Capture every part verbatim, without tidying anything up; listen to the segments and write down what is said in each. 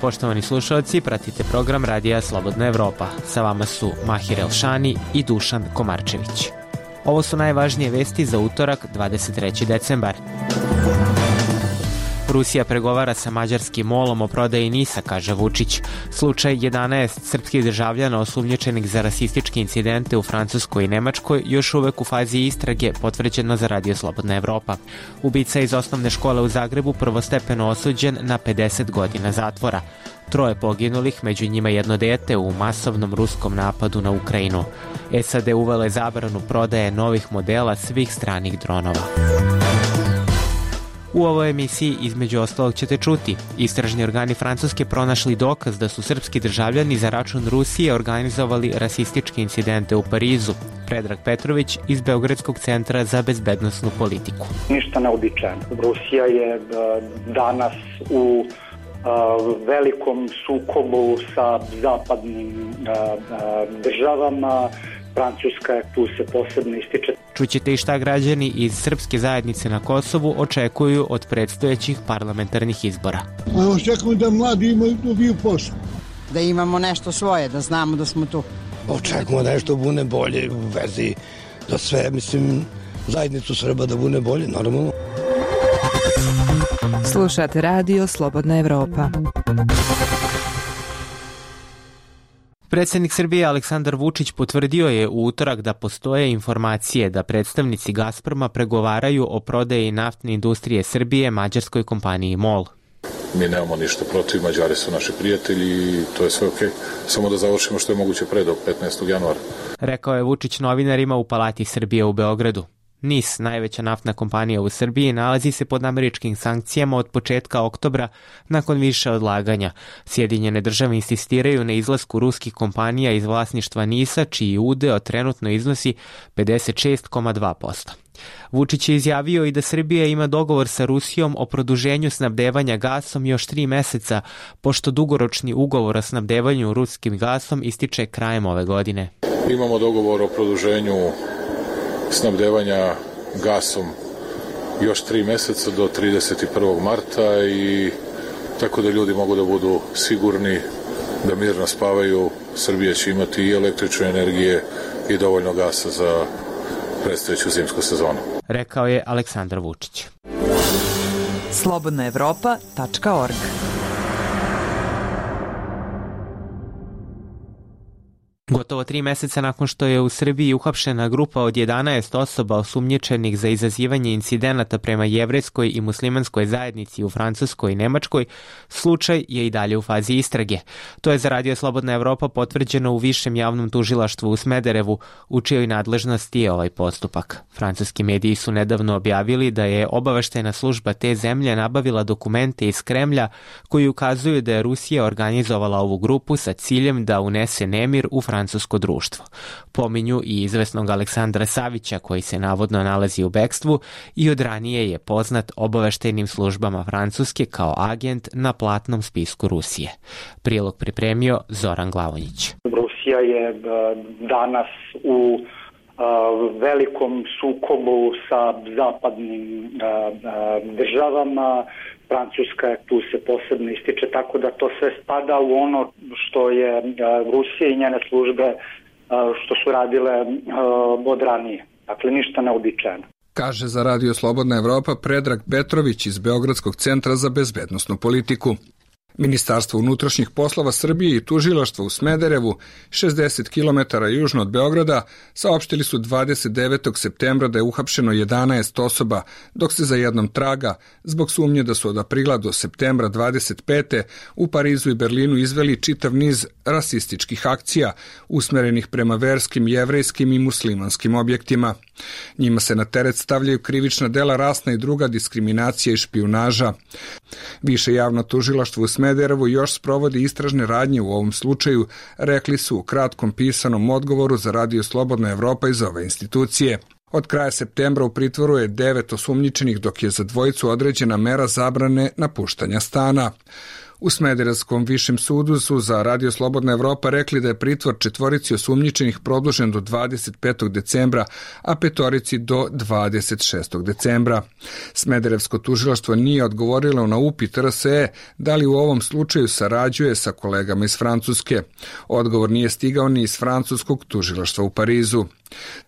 Poštovani slušalci, pratite program Radija Slobodna Evropa. Sa vama su Mahir Elšani i Dušan Komarčević. Ovo su najvažnije vesti za utorak, dvadeset treći decembar. Rusija pregovara sa mađarskim molom o prodaji NIS-a, kaže Vučić. Slučaj jedanaest srpskih državljana osumnjičenih za rasističke incidente u Francuskoj i Nemačkoj još uvek u fazi istrage, potvrđeno za Radio Slobodna Evropa. Ubica iz osnovne škole u Zagrebu prvostepeno osuđen na pedeset godina zatvora. Troje poginulih, među njima jedno dete u masovnom ruskom napadu na Ukrajinu. S A D uvele zabranu prodaje novih modela svih stranih dronova. U ovoj emisiji između ostalog ćete čuti: istražni organi Francuske pronašli dokaz da su srpski državljani za račun Rusije organizovali rasističke incidente u Parizu. Predrag Petrović iz Beogradskog centra za bezbednosnu politiku. Ništa neobičajno. Rusija je danas u velikom sukobu sa zapadnim državama. Francuska je tu se posebno ističe. Čućete i šta građani iz srpske zajednice na Kosovu očekuju od predstojećih parlamentarnih izbora. Očekujemo da mladi imaju dobiju posao. Da imamo nešto svoje, da znamo da smo tu. Očekujemo da nešto bude bolje u vezi da sve, mislim, zajednicu Srba da bude bolje, normalno. Slušate Radio Slobodna Evropa. Predsjednik Srbije Aleksandar Vučić potvrdio je u utorak da postoje informacije da predstavnici Gazproma pregovaraju o prodaji naftne industrije Srbije mađarskoj kompaniji MOL. Mi nemamo ništa protiv, Mađari su naši prijatelji i to je sve okej. Samo da završimo što je moguće pre do petnaestog januara. Rekao je Vučić novinarima u Palati Srbije u Beogradu. NIS, najveća naftna kompanija u Srbiji, nalazi se pod američkim sankcijama od početka oktobra nakon više odlaganja. Sjedinjene države insistiraju na izlasku ruskih kompanija iz vlasništva NIS-a, čiji udeo trenutno iznosi pedeset šest zarez dva posto. Vučić je izjavio i da Srbija ima dogovor sa Rusijom o produženju snabdevanja gasom još tri meseca, pošto dugoročni ugovor o snabdevanju ruskim gasom ističe krajem ove godine. Imamo dogovor o produženju snabdevanja gasom još tri meseca do trideset prvog marta i tako da ljudi mogu da budu sigurni da mirno spavaju. Srbija će imati i električne energije i dovoljno gasa za predstojeću zimsku sezonu. Rekao je Aleksandar Vučić. slobodna evropa tačka org. Gotovo tri meseca nakon što je u Srbiji uhapšena grupa od jedanaest osoba osumnjičenih za izazivanje incidenata prema jevrejskoj i muslimanskoj zajednici u Francuskoj i Nemačkoj, slučaj je i dalje u fazi istrage. To je za Radio Slobodna Evropa potvrđeno u Višem javnom tužilaštvu u Smederevu, u čijoj nadležnosti je ovaj postupak. Francuski mediji su nedavno objavili da je obaveštajna služba te zemlje nabavila dokumente iz Kremlja koji ukazuju da je Rusija organizovala ovu grupu sa ciljem da unese nemir u Francuskoj francusko društvo. Pominju i izvesnog Aleksandra Savića, koji se navodno nalazi u bekstvu i od ranije je poznat obaveštajnim službama Francuske kao agent na platnom spisku Rusije. Prilog pripremio Zoran Glavonjić. Rusija je danas u velikom sukobu sa zapadnim državama. Francuska je tu se posebno ističe, tako da to sve spada u ono što je Rusija i njene službe što su radile od ranije. Dakle, ništa neobičajno. Kaže za Radio Slobodna Evropa Predrag Petrović iz Beogradskog centra za bezbednosnu politiku. Ministarstvo unutrašnjih poslova Srbije i tužilaštvo u Smederevu, šezdeset kilometara južno od Beograda, saopštili su dvadeset devetog septembra da je uhapšeno jedanaest osoba, dok se za jednom traga, zbog sumnje da su od aprila do septembra dvadeset pete u Parizu i Berlinu izveli čitav niz rasističkih akcija, usmerenih prema verskim, jevrejskim i muslimanskim objektima. Njima se na teret stavljaju krivična dela rasna i druga diskriminacija i špijunaža. Više javno tužilaštvo u Smederevu još sprovodi istražne radnje u ovom slučaju, rekli su u kratkom pisanom odgovoru za Radio Slobodna Evropa iz ove institucije. Od kraja septembra u pritvoru je devet osumnjičenih, dok je za dvojicu određena mera zabrane napuštanja stana. U Smederevskom višem sudu su za Radio Slobodna Evropa rekli da je pritvor četvorici osumnjičenih produžen do dvadeset petog decembra, a petorici do dvadeset šestog decembra. Smederevsko tužilaštvo nije odgovorilo na upit R S E da li u ovom slučaju sarađuje sa kolegama iz Francuske. Odgovor nije stigao ni iz francuskog tužilaštva u Parizu.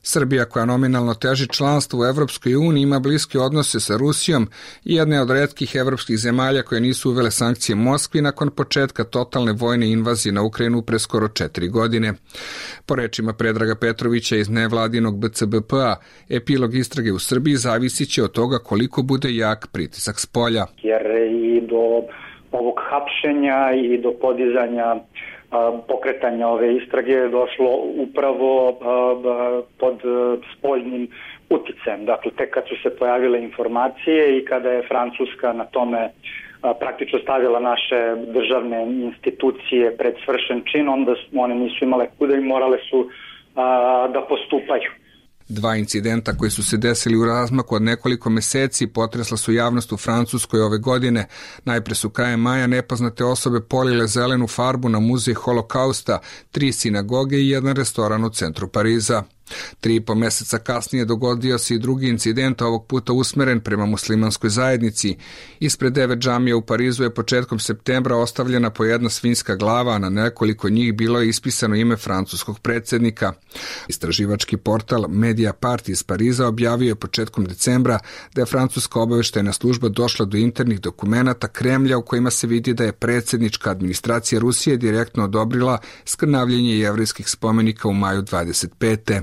Srbija, koja nominalno teži članstvo u Evropskoj uniji, ima bliske odnose sa Rusijom i jedna je od retkih evropskih zemalja koje nisu uvele sankcije Moskvi nakon početka totalne vojne invazije na Ukrajinu pre skoro četiri godine. Po rečima Predraga Petrovića iz nevladinog B C B P-a, epilog istrage u Srbiji zavisit će od toga koliko bude jak pritisak s polja. Jer i do ovog hapšenja i do podizanja pokretanja ove istrage je došlo upravo pod spoljnim uticajem. Dakle, tek kad su se pojavile informacije i kada je Francuska na tome praktično stavila naše državne institucije pred svršen čin, onda one nisu imale kuda i morale su da postupaju. Dva incidenta koji su se desili u razmaku od nekoliko meseci potresla su javnost u Francuskoj ove godine. Najpre su krajem maja nepoznate osobe polile zelenu farbu na muzej Holokausta, tri sinagoge i jedan restoran u centru Pariza. Tri i po meseca kasnije dogodio se i drugi incident, ovog puta usmeren prema muslimanskoj zajednici. Ispred devet džamija u Parizu je početkom septembra ostavljena po jedna svinjska glava, a na nekoliko njih bilo je ispisano ime francuskog predsjednika. Istraživački portal Mediapart iz Pariza objavio je početkom decembra da je francuska obaveštajna služba došla do internih dokumenata Kremlja u kojima se vidi da je predsjednička administracija Rusije direktno odobrila skrnavljenje jevrejskih spomenika u maju dvadeset pete.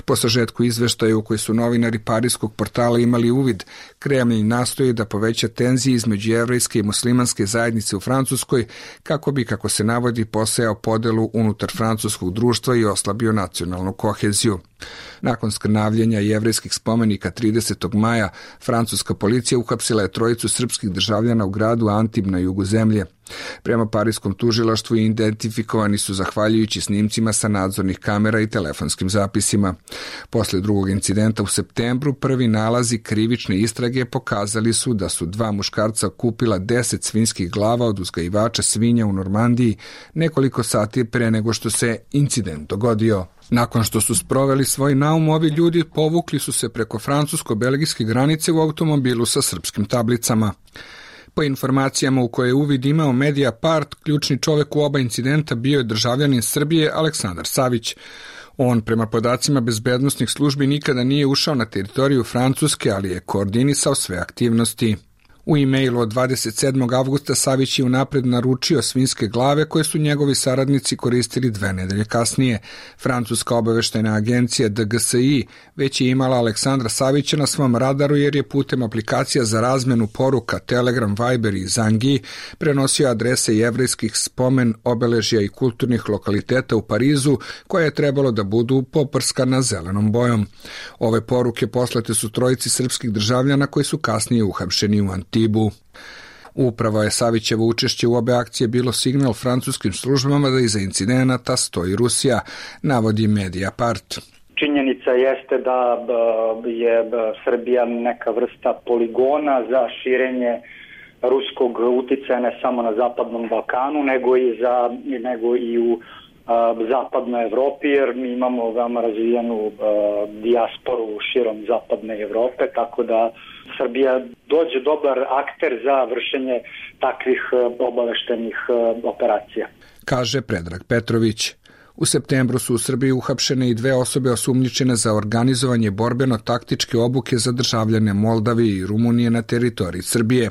Po sažetku izveštaja u koji su novinari parijskog portala imali uvid, Kremlj nastoji da poveća tenzije između jevrejske i muslimanske zajednice u Francuskoj kako bi, kako se navodi, posejao podelu unutar francuskog društva i oslabio nacionalnu koheziju. Nakon skrnavljenja jevrejskih spomenika tridesetog maja, francuska policija uhapsila je trojicu srpskih državljana u gradu Antib na jugu zemlje. Prema parijskom tužilaštvu identifikovani su zahvaljujući snimcima sa nadzornih kamera i telefonskim zapisima. Posle drugog incidenta u septembru, prvi nalazi krivične istrage pokazali su da su dva muškarca kupila deset svinjskih glava od uzgajivača svinja u Normandiji nekoliko sati pre nego što se incident dogodio. Nakon što su sproveli svoj naum, ovi ljudi povukli su se preko francusko-belgijske granice u automobilu sa srpskim tablicama. Po informacijama u koje je uvid imao Mediapart, ključni čovek u oba incidenta bio je državljanin Srbije Aleksandar Savić. On, prema podacima bezbednosnih službi, nikada nije ušao na teritoriju Francuske, ali je koordinisao sve aktivnosti. U e-mailu od dvadeset sedmog avgusta Savić je unapred naručio svinjske glave koje su njegovi saradnici koristili dve nedelje kasnije. Francuska obaveštajna agencija D G S I već je imala Aleksandra Savića na svom radaru jer je putem aplikacija za razmenu poruka Telegram, Viber i Zangi prenosio adrese jevrejskih spomen, obeležja i kulturnih lokaliteta u Parizu koje je trebalo da budu poprskana zelenom bojom. Ove poruke poslate su trojici srpskih državljana koji su kasnije uhapšeni u Antibu. Upravo je Savićevo učešće u obe akcije bilo signal francuskim službama da iza incidenata stoji Rusija, navodi Mediapart. Činjenica jeste da je Srbija neka vrsta poligona za širenje ruskog uticaja ne samo na Zapadnom Balkanu, nego i, za, nego i u Zapadnoj Evropi, jer mi imamo veoma razvijenu dijasporu širom Zapadne Evrope, tako da Srbija dođe dobar akter za vršenje takvih obaveštenih operacija. Kaže Predrag Petrović. U septembru su u Srbiji uhapšene i dve osobe osumnjičene za organizovanje borbeno-taktičke obuke za državljane Moldavije i Rumunije na teritoriji Srbije.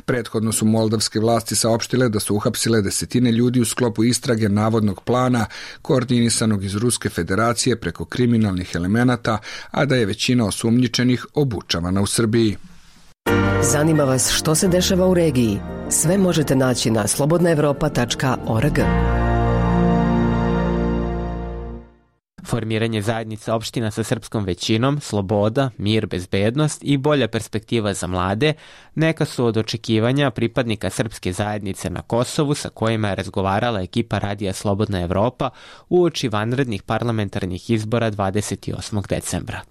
Prethodno su moldavske vlasti saopštile da su uhapsile desetine ljudi u sklopu istrage navodnog plana koordinisanog iz Ruske federacije preko kriminalnih elemenata, a da je većina osumnjičenih obučavana u Srbiji. Zanima vas što se dešava u regiji? Sve možete naći na slobodna evropa tačka org. Formiranje zajednica opština sa srpskom većinom, sloboda, mir, bezbednost i bolja perspektiva za mlade neka su od očekivanja pripadnika srpske zajednice na Kosovu sa kojima je razgovarala ekipa Radija Slobodna Evropa uoči vanrednih parlamentarnih izbora dvadeset osmog decembra.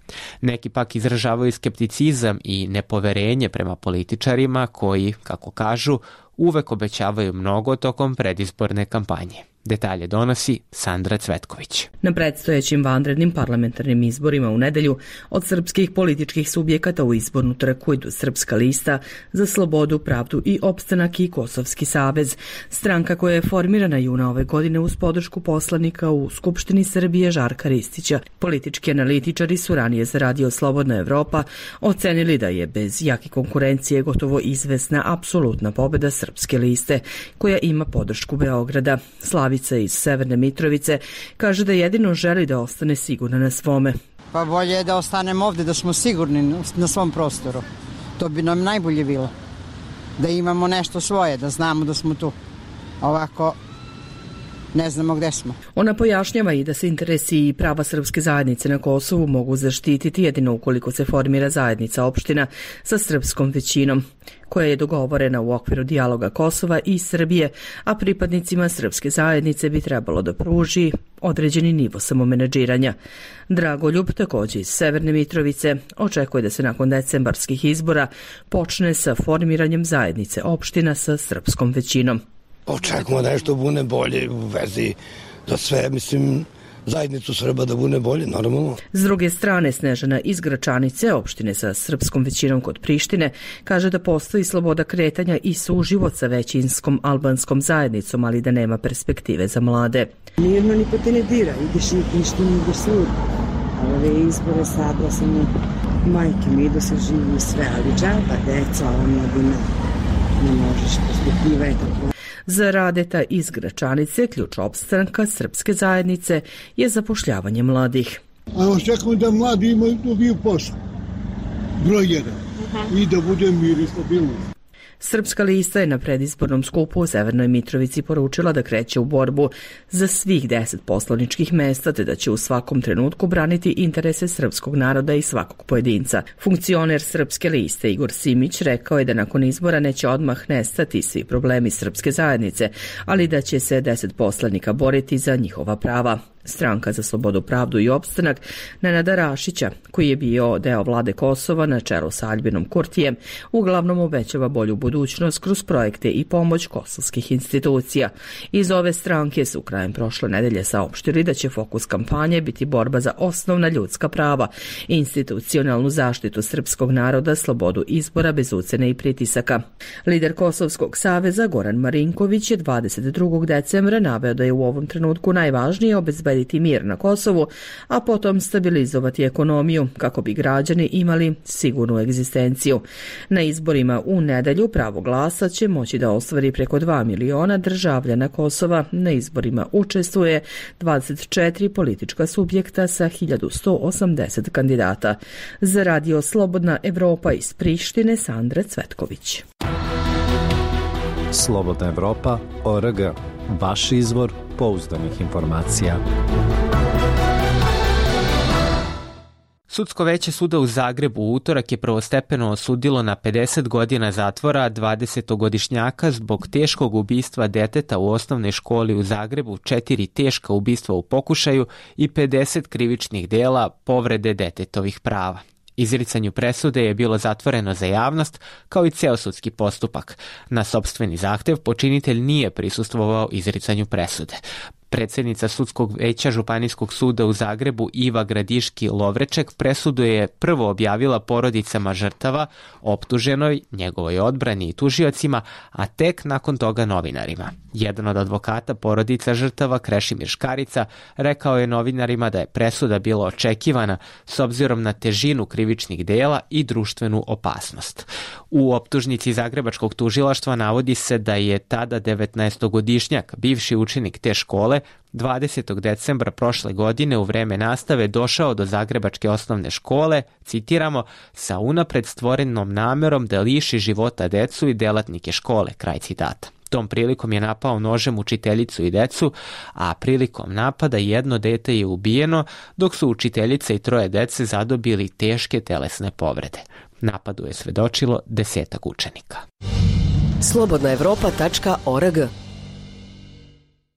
Neki pak izražavaju skepticizam i nepoverenje prema političarima koji, kako kažu, uvek obećavaju mnogo tokom predizborne kampanje. Detalje donosi Sandra Cvetković. Na predstojećim vanrednim parlamentarnim izborima u nedelju od srpskih političkih subjekata u izbornu trku idu Srpska lista za slobodu, pravdu i opstanak i Kosovski savez, stranka koja je formirana juna ove godine uz podršku poslanika u Skupštini Srbije Žarka Ristića. Politički analitičari su ranije za Radio Slobodna Evropa ocenili da je bez jake konkurencije gotovo izvesna apsolutna pobeda Srpske liste, koja ima podršku Beograda. Slavica iz Severne Mitrovice kaže da jedino želi da ostane sigurna na svome. Pa bolje je da ostanemo ovde, da smo sigurni na svom prostoru. To bi nam najbolje bilo. Da imamo nešto svoje, da znamo da smo tu. Ovako ne znamo gde smo. Ona pojašnjava i da se interesi i prava srpske zajednice na Kosovu mogu zaštititi jedino ukoliko se formira zajednica opština sa srpskom većinom, koja je dogovorena u okviru dijaloga Kosova i Srbije, a pripadnicima srpske zajednice bi trebalo da pruži određeni nivo samomenadžiranja. Dragoljub, takođe iz Severne Mitrovice, očekuje da se nakon decembarskih izbora počne sa formiranjem zajednice opština sa srpskom većinom. Očekujemo da nešto bude bolje u vezi da sve, mislim, zajednicu Srba da bude bolje, normalno. S druge strane, Snežana iz Gračanice, opštine sa srpskom većinom kod Prištine, kaže da postoji sloboda kretanja i suživot sa većinskom albanskom zajednicom, ali da nema perspektive za mlade. Nijedno niko te ne dira, ideš i Prištinu, ideš svud. A ove izbore sad sam majke, mi idu se živi sve, ali džaba, deca, omladina, ne možeš, perspektiva je tako. Za Radeta iz Gračanice ključ opstanka srpske zajednice je zapošljavanje mladih. A očekujem da mladi imaju dobiju posao. Broj jedan. I da bude mir i stabilnost. Srpska lista je na predizbornom skupu u Severnoj Mitrovici poručila da kreće u borbu za svih deset poslaničkih mesta, te da će u svakom trenutku braniti interese srpskog naroda i svakog pojedinca. Funkcioner Srpske liste Igor Simić rekao je da nakon izbora neće odmah nestati svi problemi srpske zajednice, ali da će se deset poslanika boriti za njihova prava. Stranka za slobodu, pravdu i opstanak Nenada Rašića, koji je bio deo vlade Kosova na čelu sa Aljbinom Kurtijem, uglavnom obećava bolju budućnost kroz projekte i pomoć kosovskih institucija. Iz ove stranke su krajem prošle nedelje saopštili da će fokus kampanje biti borba za osnovna ljudska prava, institucionalnu zaštitu srpskog naroda, slobodu izbora bez ucene i pritisaka. Lider Kosovskog saveza Goran Marinković je dvadeset drugog decembra naveo da je u ovom trenutku najvažnije obezbediti mir na Kosovu, a potom stabilizovati ekonomiju kako bi građani imali sigurnu egzistenciju. Na izborima u nedelju pravo glasa će moći da ostvari preko dva miliona državljana Kosova. Na izborima učestvuje dvadeset četiri politička subjekta sa hiljadu sto osamdeset kandidata. Za Radio Slobodna Evropa iz Prištine, Sandra Cvetković. Slobodna Evropa, O R G. Vaš izvor pouzdanih informacija. Sudsko veće suda u Zagrebu u utorak je prvostepeno osudilo na pedeset godina zatvora dvadesetogodišnjaka zbog teškog ubistva deteta u osnovnoj školi u Zagrebu, četiri teška ubistva u pokušaju i pedeset krivičnih dela povrede detetovih prava. Izricanju presude je bilo zatvoreno za javnost, kao i ceo sudski postupak. Na sopstveni zahtev počinitelj nije prisustvovao izricanju presude. Predsjednica Sudskog veća Županijskog suda u Zagrebu Iva Gradiški-Lovreček presudu je prvo objavila porodicama žrtava, optuženoj, njegovoj odbrani i tužiocima, a tek nakon toga novinarima. Jedan od advokata porodica žrtava, Krešimir Škarica, rekao je novinarima da je presuda bila očekivana s obzirom na težinu krivičnih dela i društvenu opasnost. U optužnici Zagrebačkog tužilaštva navodi se da je tada devetnaestogodišnjak, bivši učenik te škole, dvadesetog decembra prošle godine u vreme nastave došao do Zagrebačke osnovne škole, citiramo, sa unapred stvorenom namerom da liši života decu i delatnike škole, kraj citata. Tom prilikom je napao nožem učiteljicu i decu, a prilikom napada jedno dete je ubijeno, dok su učiteljica i troje dece zadobili teške telesne povrede. Napadu je svedočilo desetak učenika. slobodna evropa tačka org.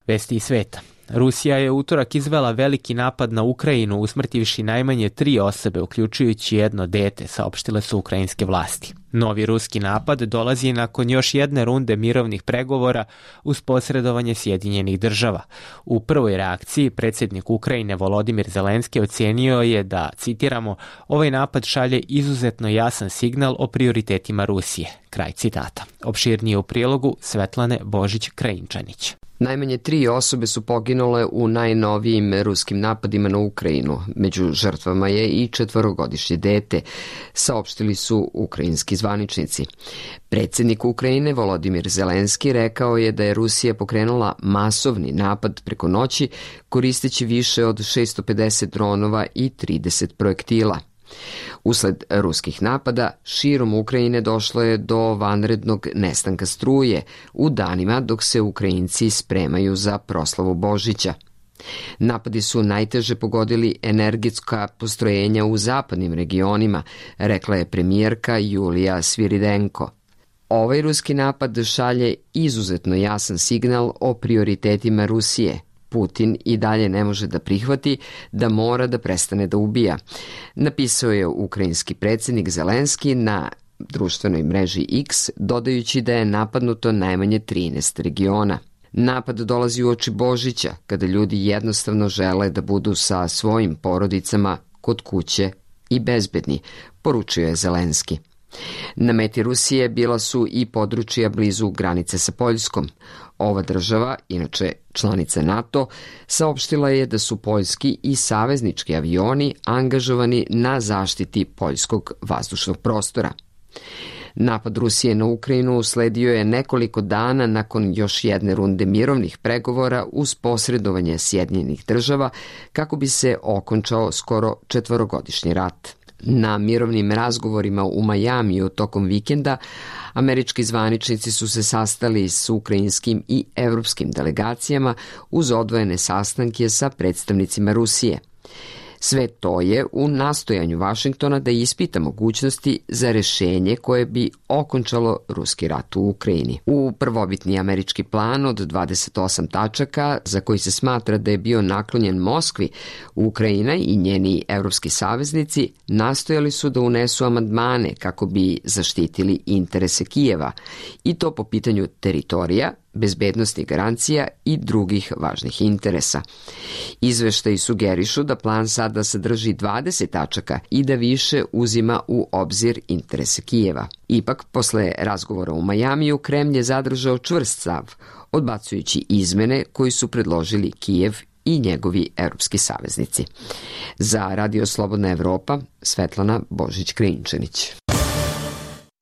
Vesti iz sveta. Rusija je utorak izvela veliki napad na Ukrajinu, usmrtivši najmanje tri osobe, uključujući jedno dete, saopštile su ukrajinske vlasti. Novi ruski napad dolazi nakon još jedne runde mirovnih pregovora uz posredovanje Sjedinjenih država. U prvoj reakciji predsjednik Ukrajine Volodimir Zelenski ocenio je da, citiramo, ovaj napad šalje izuzetno jasan signal o prioritetima Rusije. Kraj citata. Opširnije u prilogu Svetlane Božić-Krajinčanić. Najmanje tri osobe su poginule u najnovijim ruskim napadima na Ukrajinu. Među žrtvama je i četvorogodišnje dete, saopštili su ukrajinski zvaničnici. Predsjednik Ukrajine Volodimir Zelenski rekao je da je Rusija pokrenula masovni napad preko noći koristeći više od šesto pedeset dronova i trideset projektila. Usled ruskih napada, širom Ukrajine došlo je do vanrednog nestanka struje u danima dok se Ukrajinci spremaju za proslavu Božića. Napadi su najteže pogodili energetska postrojenja u zapadnim regionima, rekla je premijerka Julija Sviridenko. Ovaj ruski napad šalje izuzetno jasan signal o prioritetima Rusije. Putin i dalje ne može da prihvati da mora da prestane da ubija, napisao je ukrajinski predsjednik Zelenski na društvenoj mreži X, dodajući da je napadnuto najmanje trinaest regiona. Napad dolazi uoči Božića, kada ljudi jednostavno žele da budu sa svojim porodicama kod kuće i bezbedni, poručio je Zelenski. Na meti Rusije bila su i područja blizu granice sa Poljskom. Ova država, inače članica NATO, saopštila je da su poljski i saveznički avioni angažovani na zaštiti poljskog vazdušnog prostora. Napad Rusije na Ukrajinu usledio je nekoliko dana nakon još jedne runde mirovnih pregovora uz posredovanje Sjedinjenih država kako bi se okončao skoro četvorogodišnji rat. Na mirovnim razgovorima u Majamiju tokom vikenda američki zvaničnici su se sastali s ukrajinskim i evropskim delegacijama uz odvojene sastanke sa predstavnicima Rusije. Sve to je u nastojanju Vašingtona da ispita mogućnosti za rešenje koje bi okončalo ruski rat u Ukrajini. U prvobitni američki plan od dvadeset osam tačaka, za koji se smatra da je bio naklonjen Moskvi, Ukrajina i njeni evropski saveznici nastojali su da unesu amandmane kako bi zaštitili interese Kijeva, i to po pitanju teritorija, bezbednosti garancija i drugih važnih interesa. Izveštaji sugerišu da plan sada sadrži dvadeset tačaka i da više uzima u obzir interese Kijeva. Ipak, posle razgovora u Majamiju, Kremlj je zadržao čvrst stav, odbacujući izmene koji su predložili Kijev i njegovi evropski saveznici. Za Radio Slobodna Evropa, Svetlana Božić-Krinčanić.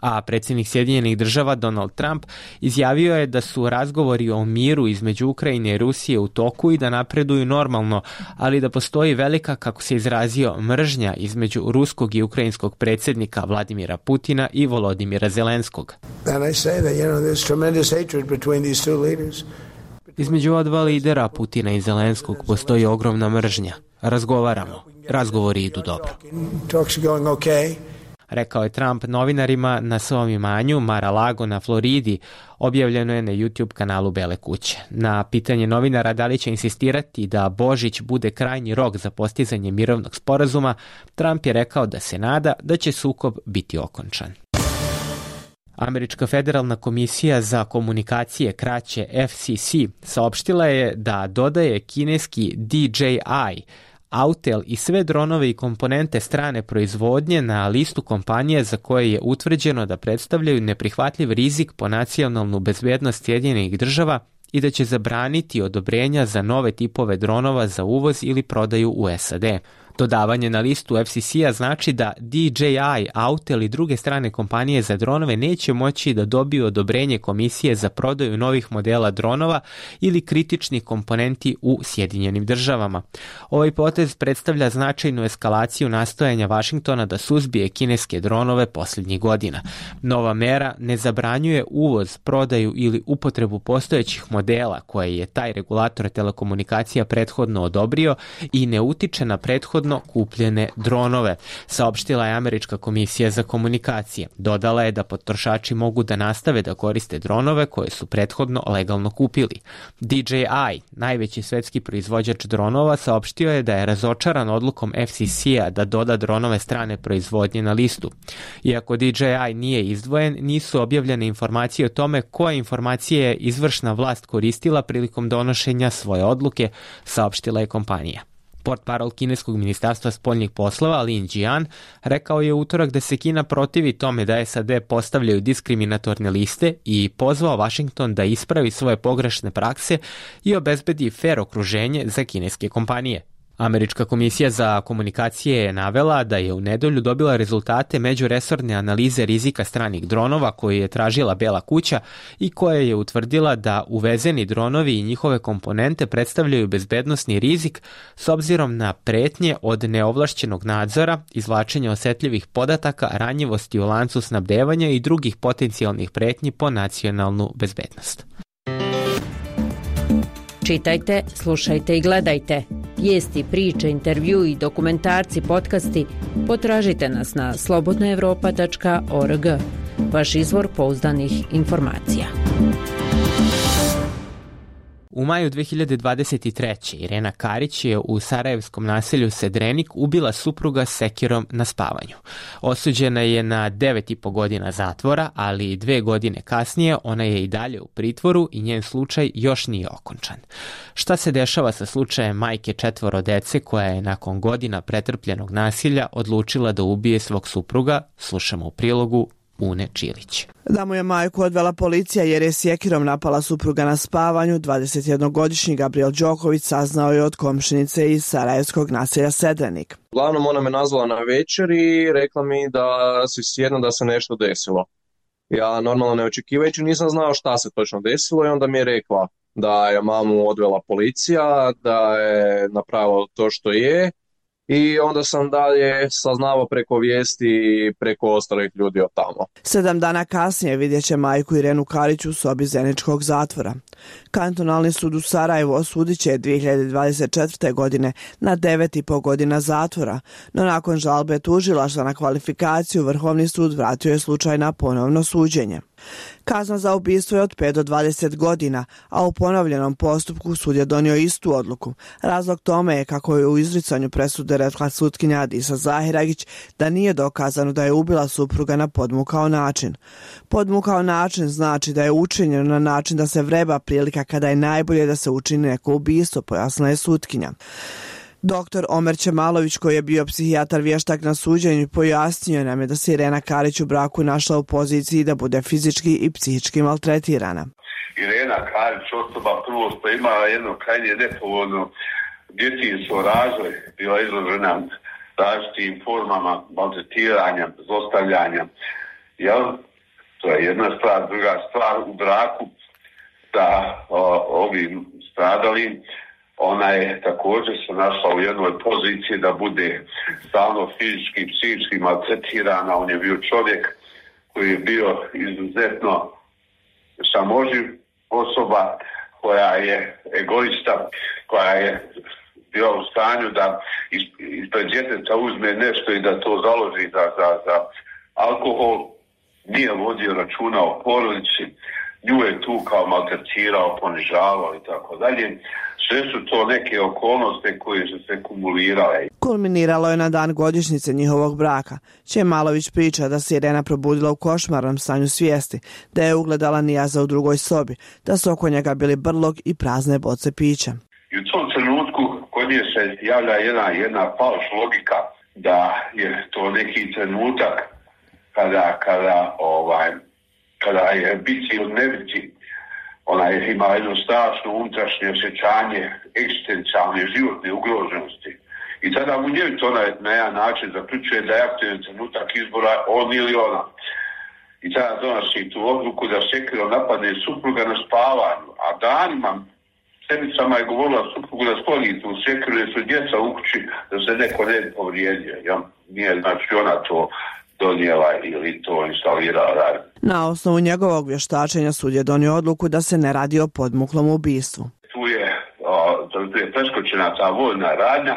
A predsjednik Sjedinjenih država Donald Trump izjavio je da su razgovori o miru između Ukrajine i Rusije u toku i da napreduju normalno, ali da postoji velika, kako se izrazio, mržnja između ruskog i ukrajinskog predsjednika Vladimira Putina i Volodimira Zelenskog. Između ova dva lidera, Putina i Zelenskog, postoji ogromna mržnja. Razgovaramo. Razgovori idu dobro. Rekao je Trump novinarima na svom imanju Mar-a-Lago na Floridi, objavljeno je na YouTube kanalu Bele kuće. Na pitanje novinara da li će insistirati da Božić bude krajnji rok za postizanje mirovnog sporazuma, Trump je rekao da se nada da će sukob biti okončan. Američka federalna komisija za komunikacije, kraće F C C, saopštila je da dodaje kineski D J I, Autel i sve dronove i komponente strane proizvodnje na listu kompanije za koje je utvrđeno da predstavljaju neprihvatljiv rizik po nacionalnu bezbednost Sjedinjenih država i da će zabraniti odobrenja za nove tipove dronova za uvoz ili prodaju u S A D. Dodavanje na listu F C C-a znači da D J I, Autel i druge strane kompanije za dronove neće moći da dobiju odobrenje komisije za prodaju novih modela dronova ili kritičnih komponenti u Sjedinjenim državama. Ovaj potez predstavlja značajnu eskalaciju nastojanja Vašingtona da suzbije kineske dronove posljednjih godina. Nova mera ne zabranjuje uvoz, prodaju ili upotrebu postojećih modela koje je taj regulator telekomunikacija prethodno odobrio i ne utiče na prethodno prethodno kupljene dronove, saopštila je Američka komisija za komunikacije. Dodala je da potrošači mogu da nastave da koriste dronove koje su prethodno legalno kupili. D J I, najveći svetski proizvođač dronova, saopštio je da je razočaran odlukom F C C-a da doda dronove strane proizvodnje na listu. Iako D J I nije izdvojen, nisu objavljene informacije o tome koje informacije je izvršna vlast koristila prilikom donošenja svoje odluke, saopštila je kompanija. Portparol kineskog ministarstva spoljnih poslova Lin Jian rekao je u utorak da se Kina protivi tome da S A D postavljaju diskriminatorne liste i pozvao Washington da ispravi svoje pogrešne prakse i obezbedi fer okruženje za kineske kompanije. Američka komisija za komunikacije je navela da je u nedelju dobila rezultate međuresorne analize rizika stranih dronova koju je tražila Bela kuća i koja je utvrdila da uvezeni dronovi i njihove komponente predstavljaju bezbednosni rizik s obzirom na pretnje od neovlašćenog nadzora, izvlačenja osetljivih podataka, ranjivosti u lancu snabdevanja i drugih potencijalnih pretnji po nacionalnu bezbednost. Čitajte, slušajte i gledajte. Vijesti, priče, intervju i dokumentarci, podcasti potražite nas na slobodna evropa tačka org. Vaš izvor pouzdanih informacija. U maju dve hiljade dvadeset treće. Irena Karić je u sarajevskom naselju Sedrenik ubila supruga sekirom na spavanju. Osuđena je na devet i po godina zatvora, ali dve godine kasnije ona je i dalje u pritvoru i njen slučaj još nije okončan. Šta se dešava sa slučajem majke četvoro dece koja je nakon godina pretrpljenog nasilja odlučila da ubije svog supruga, slušamo u prilogu Une Čilić. Da mu je majku odvela policija jer je sjekirom napala supruga na spavanju, dvadesetjednogodišnji Gabriel Đoković saznao je od komšinice iz sarajevskog naselja Sedrenik. Uglavnom ona me nazvala na večer i rekla mi da si sjedno da se nešto desilo. Ja normalno ne očekivajući nisam znao šta se točno desilo i onda mi je rekla da je mamu odvela policija, da je napravila to što je. I onda sam dalje saznavao preko vijesti i preko ostalih ljudi od tamo. Sedam dana kasnije vidjet će majku Irenu Karić u sobi zeničkog zatvora. Kantonalni sud u Sarajevu osudit će dvije hiljade dvadeset četvrte. godine na devet i po godina zatvora, no nakon žalbe tužilaštva na kvalifikaciju Vrhovni sud vratio je slučaj na ponovno suđenje. Kazna za ubistvo je od pet do dvadeset godina, a u ponovljenom postupku sud je donio istu odluku. Razlog tome je, kako je u izricanju presude rekla sutkinja Adisa Zahiragić, da nije dokazano da je ubila supruga na podmukao način. Podmukao način znači da je učinjeno na način da se vreba prilika kada je najbolje da se učini neko ubistvo, pojasnila je sutkinja. Doktor Omer Čemalović, koji je bio psihijatar vještak na suđenju, pojasnio nam je da se Irena Karić u braku našla u poziciji da bude fizički i psihički maltretirana. Irena Karić osoba prvo što imala jedno krajnje nepovoljno djetinjstvo razvoj, bila izložena različitim formama maltretiranja, zlostavljanja. Jel? To je jedna stvar. Druga stvar, u braku sa ovim stradalim, ona je također se našla u jednoj poziciji da bude stalno fizički i psihički maltretirana. On je bio čovjek koji je bio izuzetno samoživ osoba, koja je egoista, koja je bila u stanju da ispred djeteta uzme nešto i da to založi za, za, za alkohol. Nije vodio računa o porodici, nju je tu kao maltretirao, ponižavao i tako dalje. Sve su to neke okolnosti koje su se kumulirale. Kulminiralo je na dan godišnjice njihovog braka. Čemalović priča da se Irena probudila u košmarnom stanju svijesti, da je ugledala Nijaza u drugoj sobi, da su oko njega bili brlog i prazne boce pića. I u tom trenutku kod nje se javlja jedna, jedna falš logika da je to neki trenutak kada, kada, ovaj, kada je biti ili ne biti. Ona je imala jedno strašno unutrašnje osjećanje egzistencijalne životne ugroženosti. I tada mu njoj to na, na jedan način zaključuje da je aktualni trenutak izbora on ili ona. I tada donosi tu odluku da sekirom napadne supruga na spavanju, a danima sedmicama je govorila suprugu da skloni tu sekiru jer su djeca u kući da se neko ne povrijedio. Ja, nije znači ona to donijela ili to instalirala radi. Na osnovu njegovog vještačenja sud je donio odluku da se ne radi o podmuklom ubistvu. Tu je, o, tu je preskočena ta vojna radnja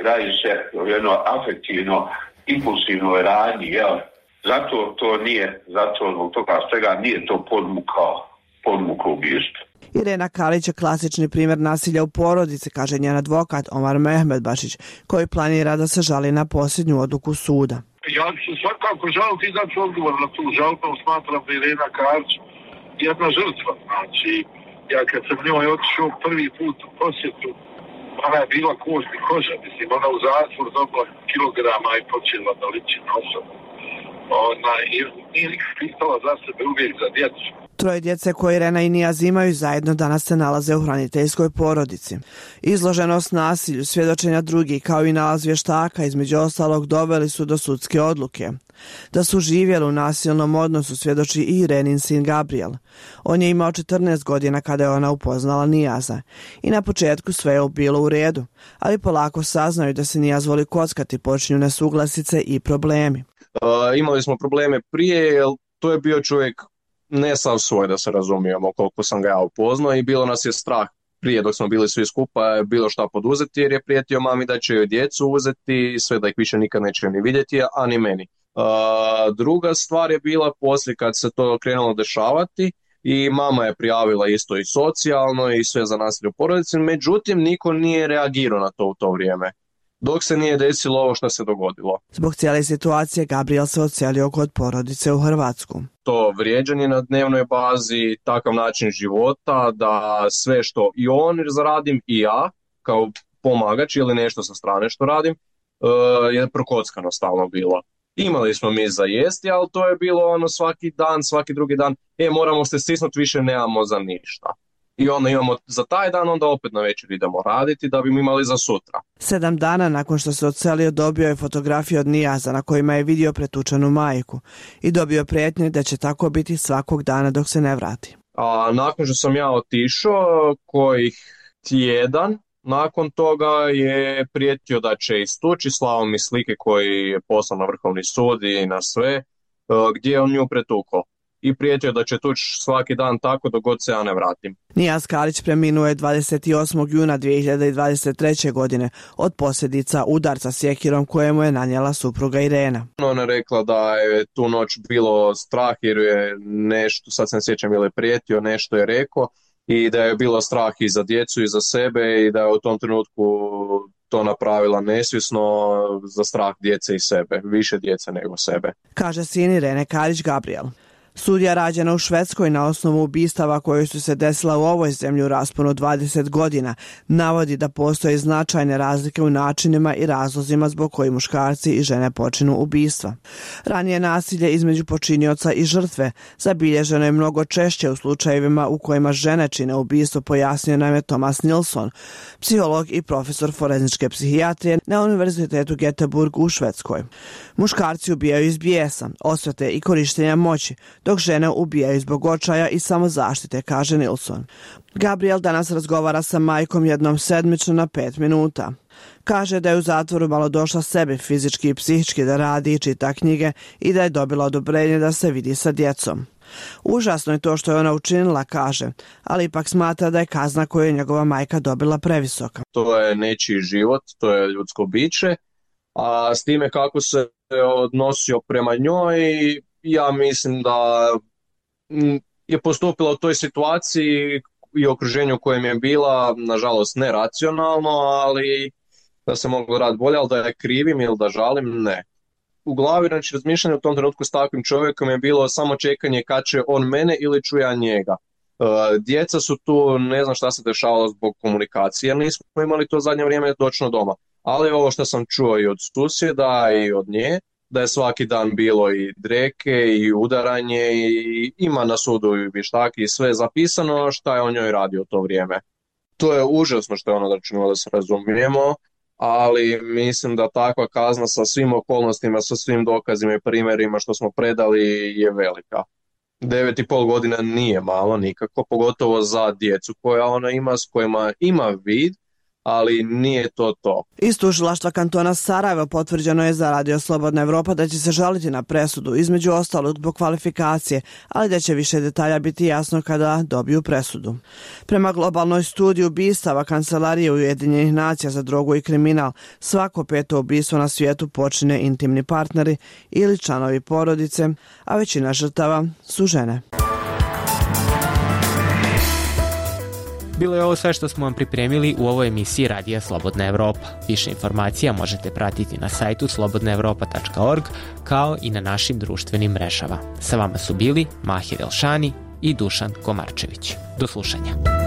radi se o jedno afektivno, impulsivnoj radnji, jel? Zato to nije, zato zbog toga svega nije to podmukao, podmukao ubijstvo. Irena Kalić je klasični primjer nasilja u porodici, kaže njen advokat Omar Mehmedbašić, koji planira da se žali na posljednju odluku suda. Ja ću svakako žaliti i dati odgovor na tu žalbu, smatram da Irena Kalić jedna žrtva. Znači, ja kad sam njoj otišao prvi put u posjetu, ona je bila kost i koža, mislim, ona u zatvor dobila kilograma i počela da liči na osobu. Ona nije nikad pitala za sebe, uvijek za djecu. Troje djece koje Irena i Nijaz imaju zajedno danas se nalaze u hraniteljskoj porodici. Izloženost nasilju, svjedočenja drugih kao i nalaz vještaka između ostalog doveli su do sudske odluke. Da su živjeli u nasilnom odnosu svjedoči i Irenin sin Gabriel. On je imao četrnaest godina kada je ona upoznala Nijaza. I na početku sve je bilo u redu, ali polako saznaju da se Nijaz voli kockati, počinju nesuglasice i problemi. Uh, imali smo probleme prije, jer to je bio čovjek ne sav svoj, da se razumijemo, koliko sam ga ja upoznao, i bilo nas je strah prije dok smo bili svi skupa bilo šta poduzeti, jer je prijetio mami da će joj djecu uzeti, sve da ih više nikad neće ni vidjeti, a ni meni. Uh, druga stvar je bila poslije kad se to krenulo dešavati i mama je prijavila isto i socijalno i sve za nasilje u porodici, međutim niko nije reagirao na to u to vrijeme, dok se nije desilo ovo što se dogodilo. Zbog cijele situacije Gabriel se odselio kod porodice u Hrvatsku. To vrijeđanje na dnevnoj bazi, takav način života, da sve što i on zaradim i ja, kao pomagač ili nešto sa strane što radim, je prokockano stalno bilo. Imali smo mi za jesti, ali to je bilo ono svaki dan, svaki drugi dan, e moramo se stisnuti, više nemamo za ništa. I onda imamo za taj dan, onda opet na večer idemo raditi da bi imali za sutra. Sedam dana nakon što se odselio dobio je fotografije od Nijaza na kojima je vidio pretučenu majku i dobio prijetnje da će tako biti svakog dana dok se ne vrati. A nakon što sam ja otišao, kojih tjedan, nakon toga je prijetio da će istući, slao mi slike koji je poslao na Vrhovni sud i na sve, gdje je on nju pretukao. I prijetio da će tući svaki dan tako dok god se ja ne vratim. Nijaz Kalić preminuo je dvadeset osmog juna dvije hiljade dvadeset treće. godine od posljedica udarca sjekirom kojemu je nanijela supruga Irena. Ona je rekla da je tu noć bilo strah jer je nešto, sad se ne sjećam ili je prijetio, nešto je rekao i da je bilo strah i za djecu i za sebe i da je u tom trenutku to napravila nesvjesno za strah djece i sebe, više djece nego sebe. Kaže sin Irene Kalić Gabriel. Sudija rađena u Švedskoj na osnovu ubistava koje su se desila u ovoj zemlji u rasponu dvadeset godina navodi da postoje značajne razlike u načinima i razlozima zbog koji muškarci i žene počinu ubistva. Ranije nasilje između počinioca i žrtve zabilježeno je mnogo češće u slučajevima u kojima žene čine ubistvo, pojasnio nam je Thomas Nilsson, psiholog i profesor forenzičke psihijatrije na Univerzitetu Göteborg u Švedskoj. Muškarci ubijaju iz bijesa, osvete i korištenja moći, dok žene ubijaju zbog očaja i samozaštite, kaže Nilsson. Gabriel danas razgovara sa majkom jednom sedmično na pet minuta. Kaže da je u zatvoru malo došla sebi fizički i psihički da radi i čita knjige i da je dobila odobrenje da se vidi sa djecom. Užasno je to što je ona učinila, kaže, ali ipak smatra da je kazna koju je njegova majka dobila previsoka. To je nečiji život, to je ljudsko biće, a s time kako se odnosio prema njoj, ja mislim da je postupila u toj situaciji i okruženju u kojem je bila, nažalost, neracionalno, ali da se moglo raditi bolje, ali da je krivim ili da žalim, ne. U glavi, znači, razmišljanje u tom trenutku s takvim čovjekom je bilo samo čekanje kad će on mene ili ću ja njega. Djeca su tu, ne znam šta se dešavalo zbog komunikacije, jer nismo imali to zadnje vrijeme dočno doma. Ali ovo što sam čuo i od susjeda i od nje, da je svaki dan bilo i dreke i udaranje i ima na sudu i vještaki i sve zapisano šta je on njoj radio to vrijeme. To je užasno što je ono da činilo, da se razumijemo, ali mislim da takva kazna sa svim okolnostima, sa svim dokazima i primjerima što smo predali je velika. Devet i pol godina nije malo nikako, pogotovo za djecu koja ona ima, s kojima ima vid, ali nije to to. Iz tužilaštva kantona Sarajevo potvrđeno je za Radio Slobodna Evropa da će se žaliti na presudu, između ostalog zbog kvalifikacije, ali da će više detalja biti jasno kada dobiju presudu. Prema globalnoj studiji ubistava Kancelarije Ujedinjenih nacija za drogu i kriminal, svako peto ubistvo na svijetu počine intimni partneri ili članovi porodice, a većina žrtava su žene. Bilo je ovo sve što smo vam pripremili u ovoj emisiji Radija Slobodna Evropa. Više informacija možete pratiti na sajtu slobodna evropa tačka org kao i na našim društvenim mrežama. Sa vama su bili Mahir Elšani i Dušan Komarčević. Do slušanja.